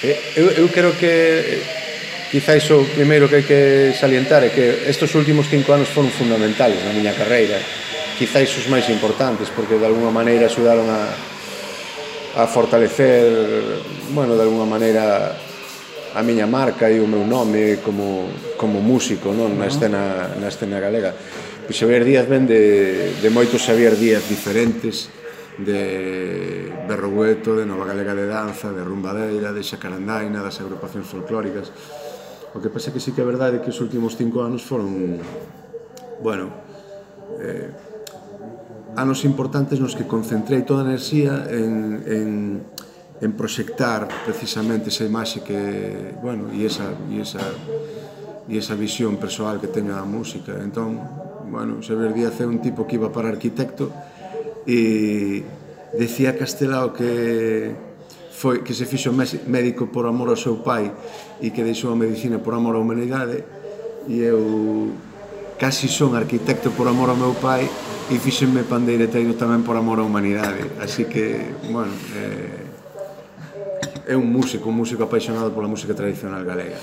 Eu creo que quizáis o primeiro que hai que salientar é que estes últimos 5 anos foron fundamentales na miña carreira, quizáis os máis importantes, porque de alguna maneira axudaron a fortalecer, bueno, de alguna maneira a miña marca e o meu nome como músico, non, na escena galega. Pois Xavier Díaz ven de moitos Xavier Díaz diferentes, de Berrogueto, de Nova Galega de Danza, de Rumbadeira, de Xacarandaina, das agrupacións folclóricas. O que pasa que sí que é verdade que os últimos 5 anos foron, bueno, anos importantes nos que concentrei toda a enerxía en proxectar precisamente esa imaxe que, bueno, e esa visión persoal que teño da música. Entón, bueno, Xavier Díaz é un tipo que iba para arquitecto e decía Castelao que se fixo médico por amor ao seu pai e que deixou a medicina por amor á humanidade, e eu casi son arquitecto por amor ao meu pai e fixenme pandeireteiro tamén por amor á humanidade. Así que, bueno, é un músico apaixonado pola música tradicional galega.